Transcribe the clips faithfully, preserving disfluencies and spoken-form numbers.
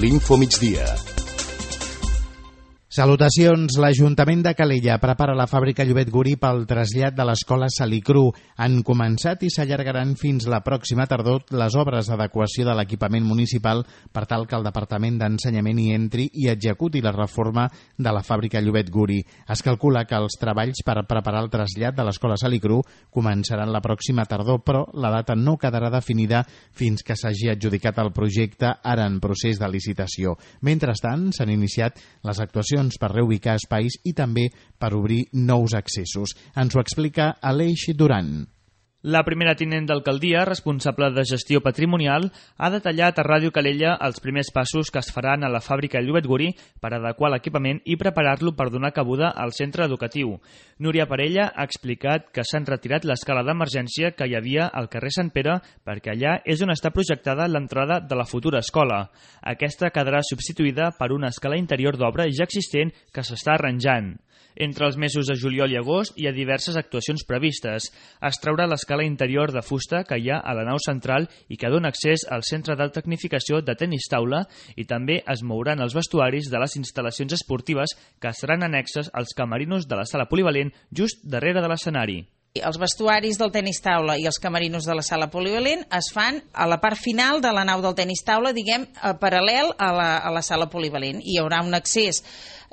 l'Info Migdia. Salutacions. L'Ajuntament de Calella prepara la fàbrica Llobet Guri pel trasllat de l'escola Salicru. Han començat i s'allargaran fins la pròxima tardor les obres d'adequació de l'equipament municipal per tal que el Departament d'Ensenyament hi entri i executi la reforma de la fàbrica Llobet Guri. Es calcula que els treballs per preparar el trasllat de l'escola Salicru començaran la pròxima tardor, però la data no quedarà definida fins que s'hagi adjudicat el projecte, ara en procés de licitació. Mentrestant, s'han iniciat les actuacions per reubicar espais i també per obrir nous accessos. Ens ho explica Aleix Duran. La primera tinent d'alcaldia, responsable de gestió patrimonial, ha detallat a Ràdio Calella els primers passos que es faran a la fàbrica Llobet Guri per adequar l'equipament i preparar-lo per donar cabuda al centre educatiu. Núria Parella ha explicat que s'han retirat l'escala d'emergència que hi havia al carrer Sant Pere perquè allà és on està projectada l'entrada de la futura escola. Aquesta quedarà substituïda per una escala interior d'obra ja existent que s'està arranjant. Entre els mesos de juliol i agost hi ha diverses actuacions previstes. Es traurà l'escala interior de fusta que hi ha a la nau central i que dona accés al centre d'alta tecnificació de tenis taula i també es mouran els vestuaris de les instal·lacions esportives que seran annexes als camerinos de la sala polivalent just darrere de l'escenari. Els vestuaris del tenis taula i els camerinos de la sala polivalent es fan a la part final de la nau del tenis taula, diguem, paral·lel a la, a la sala polivalent. Hi haurà un accés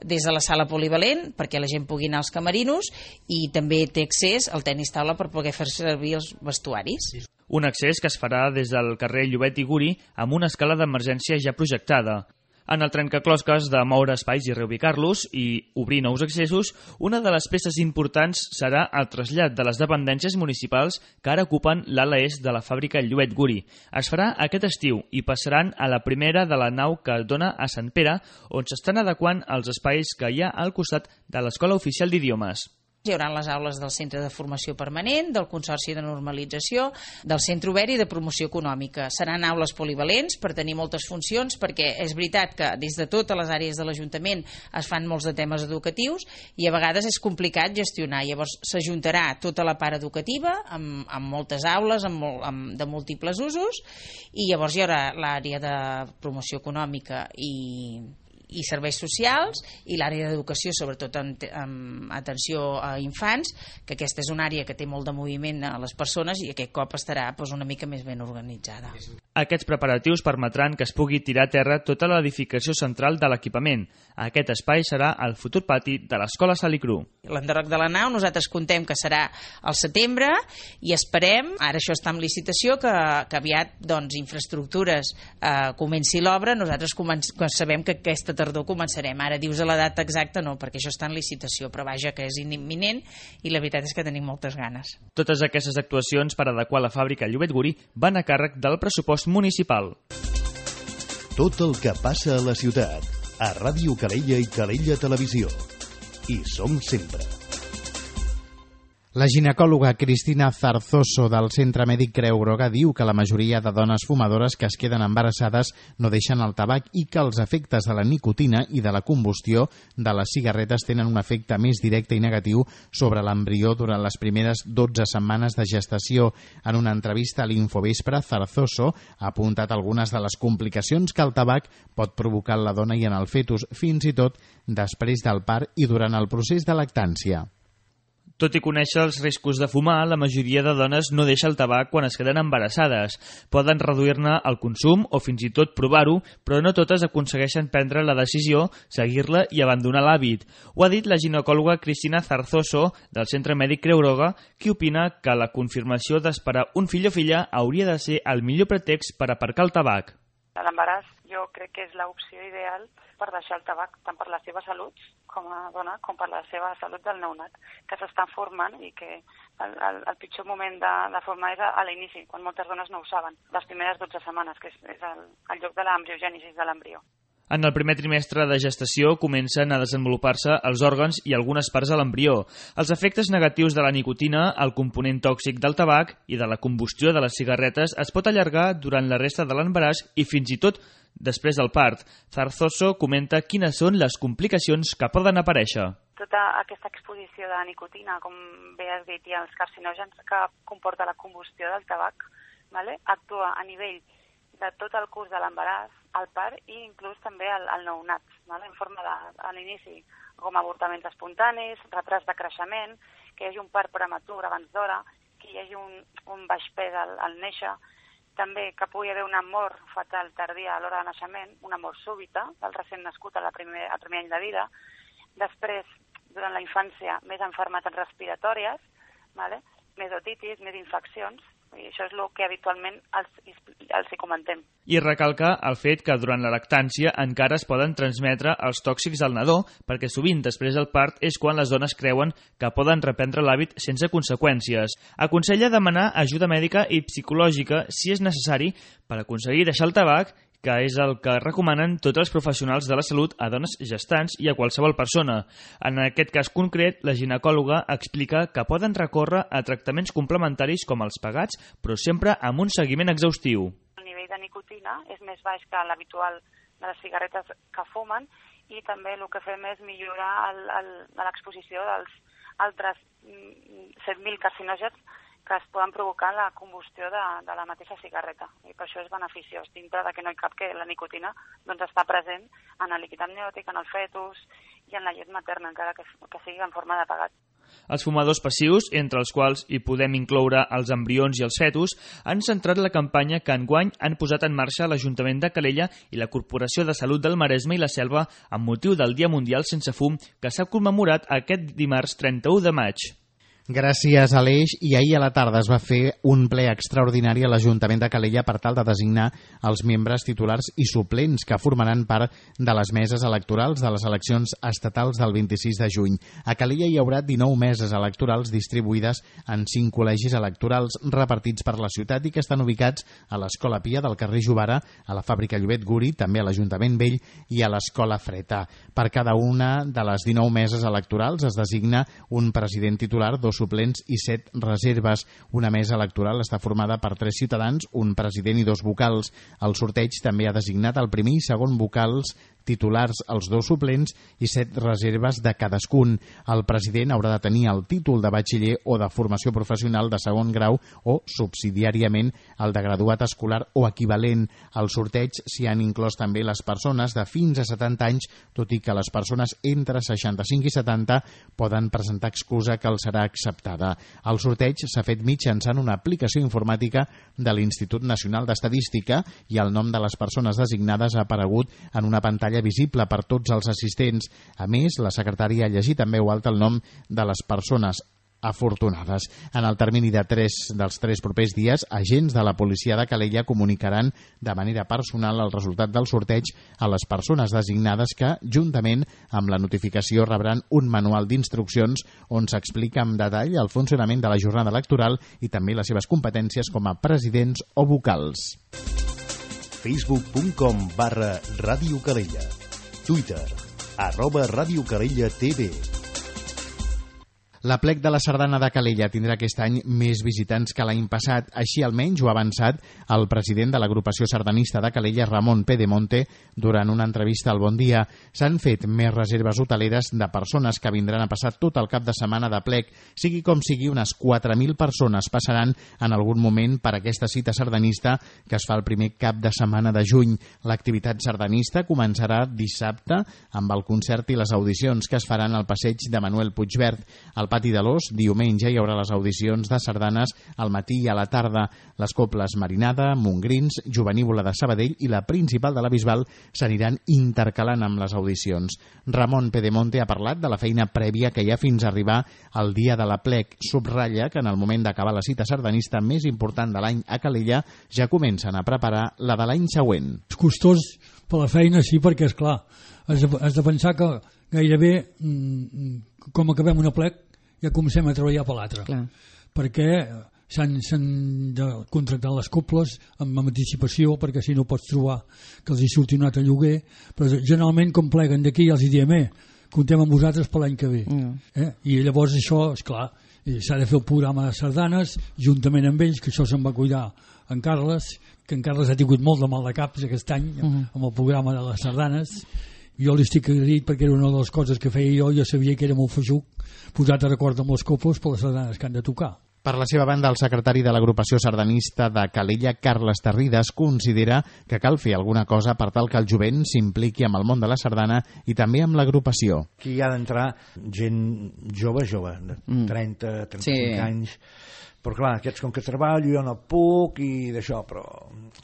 des de la sala polivalent perquè la gent pugui anar als camerinos i també té accés al tenis taula per poder fer servir els vestuaris. Un accés que es farà des del carrer Llobet i Guri amb una escala d'emergència ja projectada. En el trencaclosques de moure espais i reubicar-los i obrir nous accessos, una de les peces importants serà el trasllat de les dependències municipals que ara ocupen l'ala est de la fàbrica Llobet Guri. Es farà aquest estiu i passaran a la primera de la nau que dona a Sant Pere, on s'estan adequant els espais que hi ha al costat de l'Escola Oficial d'Idiomes. Hi haurà les aules del Centre de Formació Permanent, del Consorci de Normalització, del Centre Obert i de Promoció Econòmica. Seran aules polivalents per tenir moltes funcions, perquè és veritat que des de totes les àrees de l'Ajuntament es fan molts de temes educatius i a vegades és complicat gestionar. Llavors s'ajuntarà tota la part educativa amb, amb moltes aules amb, amb, de múltiples usos i llavors hi haurà l'àrea de promoció econòmica i i serveis socials i l'àrea d'educació, sobretot en, en atenció a infants, que aquesta és una àrea que té molt de moviment a les persones i aquest cop estarà doncs, una mica més ben organitzada. Aquests preparatius permetran que es pugui tirar a terra tota l'edificació central de l'equipament. Aquest espai serà el futur pati de l'Escola Salicru. L'enderroc de la nau nosaltres contem que serà al setembre i esperem, ara això està en licitació, que, que aviat doncs, infraestructures eh, comenci l'obra. Nosaltres començ, sabem que aquesta tardor començarem. Ara dius a la data exacta no, perquè això està en licitació, però vaja que és imminent i la veritat és que tenim moltes ganes. Totes aquestes actuacions per adequar la fàbrica Llobet Guri van a càrrec del pressupost municipal. Tot el que passa a la ciutat, a Ràdio Calella i Calella Televisió. Hi som sempre. La ginecòloga Cristina Zarzoso del Centre Mèdic Creu Groga diu que la majoria de dones fumadores que es queden embarassades no deixen el tabac i que els efectes de la nicotina i de la combustió de les cigarretes tenen un efecte més directe i negatiu sobre l'embrió durant les primeres dotze setmanes de gestació. En una entrevista a l'Infovespre, Zarzoso ha apuntat algunes de les complicacions que el tabac pot provocar en la dona i en el fetus, fins i tot després del part i durant el procés de lactància. Tot i conèixer els riscos de fumar, la majoria de dones no deixa el tabac quan es queden embarassades. Poden reduir-ne el consum o fins i tot provar-ho, però no totes aconsegueixen prendre la decisió, seguir-la i abandonar l'hàbit. Ho ha dit la ginecòloga Cristina Zarzoso del Centre Mèdic Creu Roja, qui opina que la confirmació d'esperar un fill o filla hauria de ser el millor pretext per aparcar el tabac. L'embaràs jo crec que és l'opció ideal per deixar el tabac tant per la seva salut com a dona com per la seva salut del neonat, que s'estan formant i que el, el, el pitjor moment de, de formar és a, a l'inici, quan moltes dones no ho saben, les primeres dotze setmanes, que és, és el, el lloc de l'embriogènesi de l'embrió. En el primer trimestre de gestació comencen a desenvolupar-se els òrgans i algunes parts de l'embrió. Els efectes negatius de la nicotina, el component tòxic del tabac i de la combustió de les cigarretes es pot allargar durant la resta de l'embaràs i fins i tot després del part. Zarzoso comenta quines són les complicacions que poden aparèixer. Tota aquesta exposició de nicotina, com bé has dit, i els carcinògens que comporta la combustió del tabac, vale? Actua a nivell de tot el curs de l'embaràs, el part i inclús també el, el nounat, vale? En forma de, a l'inici, com avortaments espontanis, retras de creixement, que hi hagi un part prematur abans d'hora, que hi hagi un, un baix pes al, al néixer, també que pugui haver una mort fatal tardia a l'hora de naixement, una mort súbita del recent nascut a la primer, al primer any de vida, després, durant la infància, més malalties respiratòries, vale? Més otitis, més infeccions, i això és el que habitualment els, els hi comentem. I recalca el fet que durant la lactància encara es poden transmetre els tòxics al nadó, perquè sovint després del part és quan les dones creuen que poden reprendre l'hàbit sense conseqüències. Aconsella demanar ajuda mèdica i psicològica si és necessari per aconseguir deixar el tabac, que és el que recomanen tots els professionals de la salut a dones gestants i a qualsevol persona. En aquest cas concret, la ginecòloga explica que poden recórrer a tractaments complementaris com els pagats, però sempre amb un seguiment exhaustiu. El nivell de nicotina és més baix que l'habitual de les cigarretes que fumen i també el que fem és millorar l'exposició dels altres set mil carcinògens que es poden provocar la combustió de, de la mateixa cigarreta. I per això és beneficiós, dintre de que no hi cap que la nicotina doncs, està present en el líquid amniòtic, en el fetus i en la llet materna, encara que, que sigui en forma de pegat. Els fumadors passius, entre els quals hi podem incloure els embrions i els fetus, han centrat la campanya que enguany han posat en marxa l'Ajuntament de Calella i la Corporació de Salut del Maresme i la Selva amb motiu del Dia Mundial Sense Fum, que s'ha commemorat aquest dimarts trenta-u de maig. Gràcies, Aleix. I ahir a la tarda es va fer un ple extraordinari a l'Ajuntament de Calella per tal de designar els membres titulars i suplents que formaran part de les meses electorals de les eleccions estatals del vint-i-sis de juny. A Calella hi haurà dinou meses electorals distribuïdes en cinc col·legis electorals repartits per la ciutat i que estan ubicats a l'Escola Pia del carrer Jovara, a la Fàbrica Llobet Guri, també a l'Ajuntament Vell i a l'Escola Freta. Per cada una de les dinou meses electorals es designa un president titular, dos suplents i set reserves. Una mesa electoral està formada per tres ciutadans, un president i dos vocals. El sorteig també ha designat el primer i segon vocals titulars, els dos suplents i set reserves de cadascun. El president haurà de tenir el títol de batxiller o de formació professional de segon grau o, subsidiàriament, el de graduat escolar o equivalent. Al sorteig s'hi han inclòs també les persones de fins a setanta anys, tot i que les persones entre seixanta-cinc i setanta poden presentar excusa que els serà acceptada. El sorteig s'ha fet mitjançant una aplicació informàtica de l'Institut Nacional d'Estadística i el nom de les persones designades ha aparegut en una pantalla visible per tots els assistents. A més, la secretària ha llegit en veu alta el nom de les persones afortunades. En el termini de tres dels tres propers dies, agents de la policia de Calella comunicaran de manera personal el resultat del sorteig a les persones designades que, juntament amb la notificació, rebran un manual d'instruccions on s'explica amb detall el funcionament de la jornada electoral i també les seves competències com a presidents o vocals. facebook punt com barra Ràdio Calella. Twitter, arroba Ràdio Calella T V. L'Aplec de la Sardana de Calella tindrà aquest any més visitants que l'any passat. Així almenys ho ha avançat el president de l'agrupació sardanista de Calella, Ramon Pedemonte, durant una entrevista al Bon Dia. S'han fet més reserves hoteleres de persones que vindran a passar tot el cap de setmana d'Aplec. Sigui com sigui, unes quatre mil persones passaran en algun moment per aquesta cita sardanista que es fa el primer cap de setmana de juny. L'activitat sardanista començarà dissabte amb el concert i les audicions que es faran al passeig de Manuel Puigverd. Al Pati de l'Os, diumenge, hi haurà les audicions de sardanes al matí i a la tarda. Les coples Marinada, Montgrins, Jovenívola de Sabadell i la principal de la Bisbal s'aniran intercalant amb les audicions. Ramon Pedemonte ha parlat de la feina prèvia que hi ha fins a arribar al dia de l'Aplec. Subratlla que en el moment d'acabar la cita sardanista més important de l'any a Calella ja comencen a preparar la de l'any següent. És costós per la feina, sí, perquè, esclar, has de, has de pensar que gairebé, com acabem un Aplec, ja comencem a treballar per l'altre, perquè s'han, s'han de contractar les coples amb anticipació, perquè si no pots trobar que els hi surti un altre lloguer, però generalment com pleguen d'aquí els hi diem, eh, comptem amb vosaltres per l'any que ve, mm. eh? I llavors això, esclar, s'ha de fer el programa de sardanes juntament amb ells, que això se'n va cuidar en Carles, que en Carles ha tingut molt de mal de caps aquest any mm. amb el programa de les sardanes. Jo li estic agraït perquè era una de les coses que feia jo, jo sabia que era molt feixuc posat a record amb les coples per les sardanes que han de tocar. Per la seva banda, el secretari de l'agrupació sardanista de Calella, Carles Tarrides, considera que cal fer alguna cosa per tal que el jovent s'impliqui amb el món de la sardana i també amb l'agrupació. Aquí hi ha d'entrar gent jove, jove, de trenta, trenta-cinc sí. anys, però clar, aquests com que treballo jo no puc i d'això, però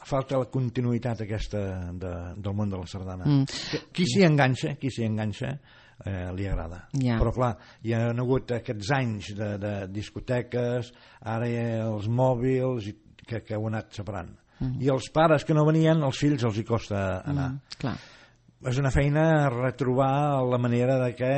falta la continuïtat aquesta de, del món de la sardana. Mm. Qui s'hi enganxa, qui s'hi enganxa, Eh, li agrada, yeah. Però clar, hi ha hagut aquests anys de, de discoteques, ara hi ha els mòbils que, que ho han anat separant, mm. i els pares que no venien, els fills els hi costa anar, mm, clar. És una feina retrobar la manera de que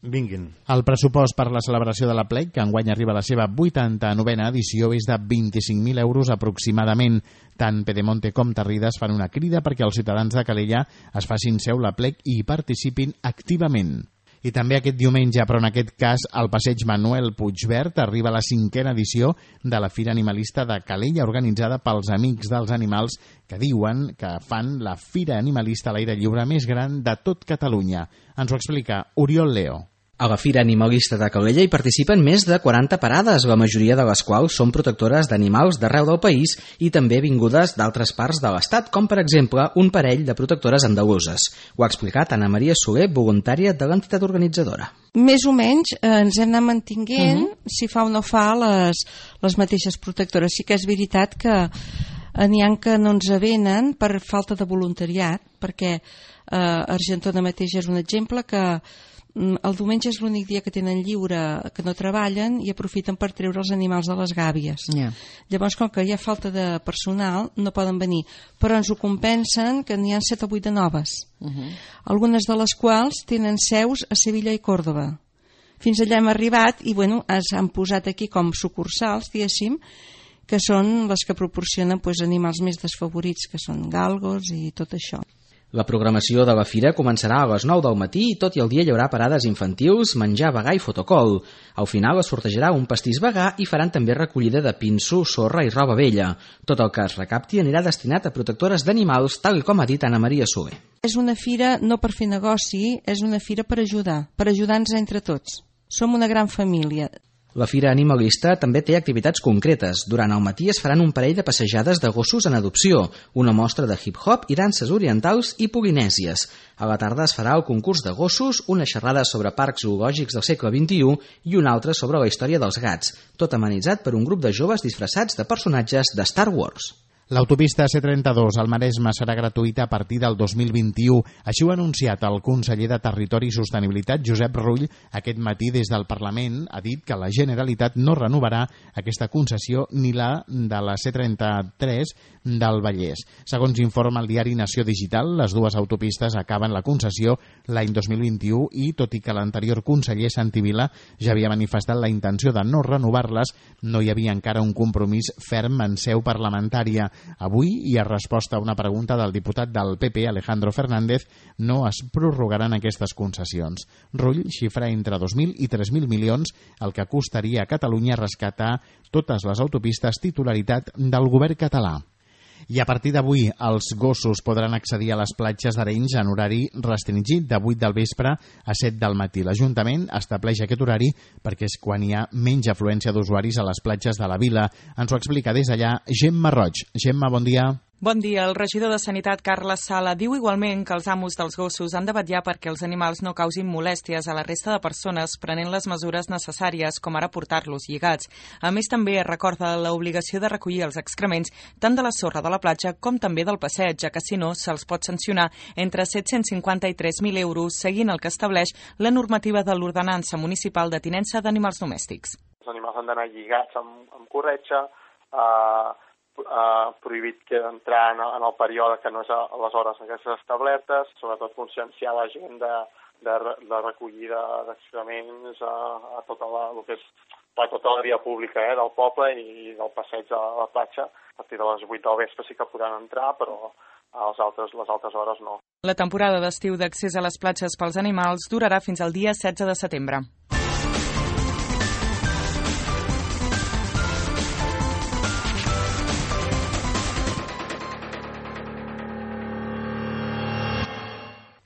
vinguin. El pressupost per la celebració de la Plec, que enguany arriba a la seva vuitanta-novena edició, és de vint-i-cinc mil euros aproximadament. Tant Pedemonte com Tarrides fan una crida perquè els ciutadans de Calella es facin seu la Plec i hi participin activament. I també aquest diumenge, però en aquest cas al passeig Manuel Puigvert, arriba la cinquena edició de la Fira Animalista de Calella, organitzada pels Amics dels Animals, que diuen que fan la Fira Animalista a l'aire lliure més gran de tot Catalunya. Ens ho explica Oriol Leo. A la Fira Animalista de Calella hi participen més de quaranta parades, la majoria de les quals són protectores d'animals d'arreu del país i també vingudes d'altres parts de l'Estat, com per exemple un parell de protectores andaluses. Ho ha explicat Anna Maria Soler, voluntària de l'entitat organitzadora. Més o menys eh, ens hem anat mantinguent, uh -huh. si fa o no fa, les, les mateixes protectores. Sí que és veritat que n'hi ha que no ens venen per falta de voluntariat, perquè eh, Argentona mateix és un exemple que el diumenge és l'únic dia que tenen lliure, que no treballen i aprofiten per treure els animals de les gàbies. Yeah. Llavors, com que hi ha falta de personal, no poden venir. Però ens ho compensen que n'hi ha set o vuit de noves. Uh -huh. Algunes de les quals tenen seus a Sevilla i Còrdova. Fins allà hem arribat i bueno, ens han posat aquí com sucursals, diguéssim, que són les que proporcionen pues, animals més desfavorits, que són galgos i tot això. La programació de la fira començarà a les nou del matí i tot i el dia hi haurà parades infantils, menjar vegà i fotocol. Al final es sortejarà un pastís vegà i faran també recollida de pinso, sorra i roba vella. Tot el que es recapti anirà destinat a protectores d'animals, tal com ha dit Anna Maria Soler. És una fira no per fer negoci, és una fira per ajudar, per ajudar-nos entre tots. Som una gran família. La Fira Animalista també té activitats concretes. Durant el matí es faran un parell de passejades de gossos en adopció, una mostra de hip-hop i danses orientals i polinèsies. A la tarda es farà el concurs de gossos, una xerrada sobre parcs zoològics del segle vint-i-u i una altra sobre la història dels gats, tot amenitzat per un grup de joves disfressats de personatges de Star Wars. L'autopista C trenta-dos al Maresme serà gratuïta a partir del dos mil vint-i-u. Així ho ha anunciat el conseller de Territori i Sostenibilitat, Josep Rull, aquest matí des del Parlament. Ha dit que la Generalitat no renovarà aquesta concessió ni la de la C trenta-tres del Vallès. Segons informa el diari Nació Digital, les dues autopistes acaben la concessió l'any dos mil vint-i-u i, tot i que l'anterior conseller Santi Vila ja havia manifestat la intenció de no renovar-les, no hi havia encara un compromís ferm en seu parlamentària. Avui, i a resposta a una pregunta del diputat del P P, Alejandro Fernández, no es prorrogaran aquestes concessions. Rull xifra entre dos mil i tres mil milions el que costaria a Catalunya rescatar totes les autopistes titularitat del govern català. I a partir d'avui els gossos podran accedir a les platges d'Arenys en horari restringit de vuit del vespre a set del matí. L'Ajuntament estableix aquest horari perquè és quan hi ha menys afluència d'usuaris a les platges de la vila. Ens ho explica des d'allà Gemma Roig. Gemma, bon dia. Bon dia. El regidor de Sanitat, Carles Sala, diu igualment que els amos dels gossos han de vetllar perquè els animals no causin molèsties a la resta de persones prenent les mesures necessàries, com ara portar-los lligats. A més, també recorda l'obligació de recollir els excrements tant de la sorra de la platja com també del passeig, ja que si no se'ls pot sancionar entre set-cents cinquanta i tres mil euros, seguint el que estableix la normativa de l'Ordenança Municipal de Tinença d'Animals Domèstics. Els animals han d'anar lligats amb, amb corretja, eh, Uh, prohibit que entrar en, en el període que no és a les hores aquestes establertes, sobretot conscienciar la gent de, de, de recollida d'excrements a, a tota la, el que és, a tota la via pública eh, del poble i del passeig a la platja. A partir de les vuit del vespre sí que podran entrar, però a les altres, les altres hores no. La temporada d'estiu d'accés a les platges pels animals durarà fins al dia setze de setembre.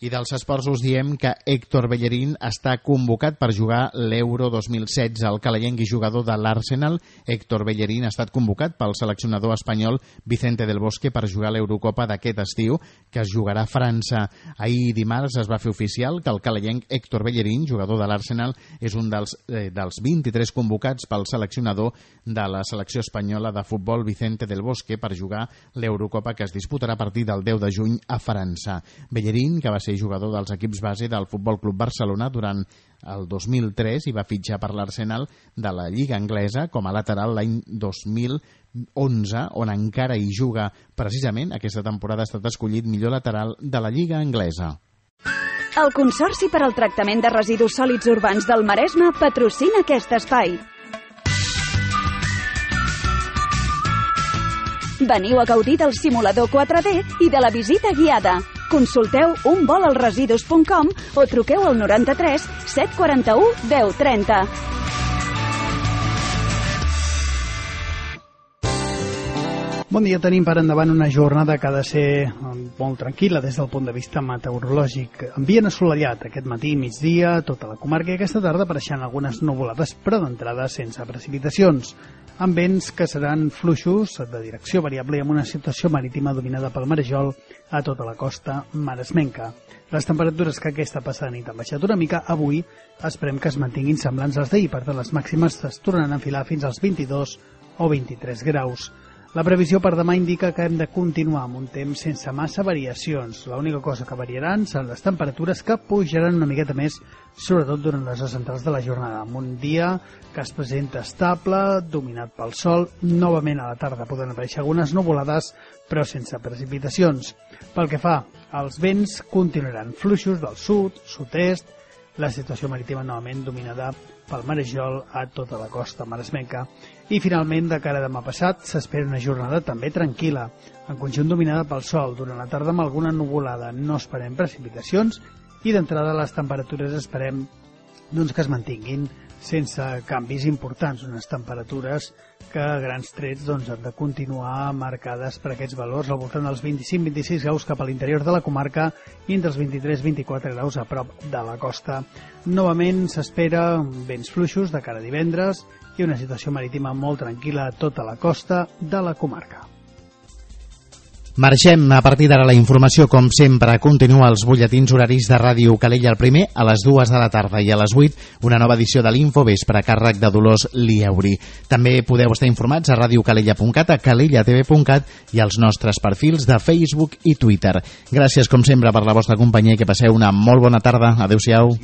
I dels esports us diem que Héctor Bellerín està convocat per jugar l'Euro dos mil setze. El calayenc i jugador de l'Arsenal, Héctor Bellerín, ha estat convocat pel seleccionador espanyol Vicente del Bosque per jugar l'Eurocopa d'aquest estiu, que es jugarà a França. Ahir dimarts es va fer oficial que el calayenc Héctor Bellerín, jugador de l'Arsenal, és un dels, eh, dels vint-i-tres convocats pel seleccionador de la selecció espanyola de futbol Vicente del Bosque per jugar l'Eurocopa que es disputarà a partir del deu de juny a França. Bellerín, que va ser jugador dels equips base del Futbol Club Barcelona durant el dos mil tres i va fitxar per l'Arsenal de la Lliga Anglesa com a lateral l'any dos mil onze, on encara hi juga. Precisament aquesta temporada ha estat escollit millor lateral de la Lliga Anglesa. El Consorci per al Tractament de Residus Sòlids Urbans del Maresme patrocina aquest espai. Veniu a gaudir del simulador quatre D i de la visita guiada. Consulteu un vol al residus punt com o truqueu al noranta-tres set quaranta-u deu trenta. Bon dia, tenim per endavant una jornada que ha de ser molt tranquil·la des del punt de vista meteorològic. Ambient assolellat aquest matí i migdia, tota la comarca, i aquesta tarda apareixen algunes nuvolades, però d'entrada sense precipitacions, amb vents que seran fluixos de direcció variable i amb una situació marítima dominada pel marejol a tota la costa maresmenca. Les temperatures que aquesta passada nit han baixat una mica, avui esperem que es mantinguin semblants als d'ahir, per tant les màximes es tornen a enfilar fins als vint-i-dos o vint-i-tres graus. La previsió per demà indica que hem de continuar amb un temps sense massa variacions. L'única cosa que variaran seran les temperatures, que pujaran una miqueta més, sobretot durant les hores centrals de la jornada, amb un dia que es presenta estable, dominat pel sol. Novament a la tarda poden aparèixer algunes nuvolades, però sense precipitacions. Pel que fa als vents, continuaran fluixos del sud, sud-est, la situació marítima novament dominada pel marejol a tota la costa maresmenca. I finalment, de cara a demà passat, s'espera una jornada també tranquil·la, en conjunt dominada pel sol, durant la tarda amb alguna nuvolada. No esperem precipitacions i d'entrada les temperatures esperem doncs, que es mantinguin sense canvis importants, unes temperatures que a grans trets doncs, han de continuar marcades per aquests valors al voltant dels vint-i-cinc vint-i-sis graus cap a l'interior de la comarca i entre els vint-i-tres vint-i-quatre graus a prop de la costa. Novament s'espera vents fluixos de cara a divendres i una situació marítima molt tranquil·la a tota la costa de la comarca. Marxem a partir d'ara la informació, com sempre. Continua els butlletins horaris de Ràdio Calella, el primer a les dues de la tarda i a les vuit una nova edició de l'Infovespre a càrrec de Dolors Liauri. També podeu estar informats a radiocalella punt cat, a calella t v punt cat i als nostres perfils de Facebook i Twitter. Gràcies, com sempre, per la vostra companyia i que passeu una molt bona tarda. Adéu-siau.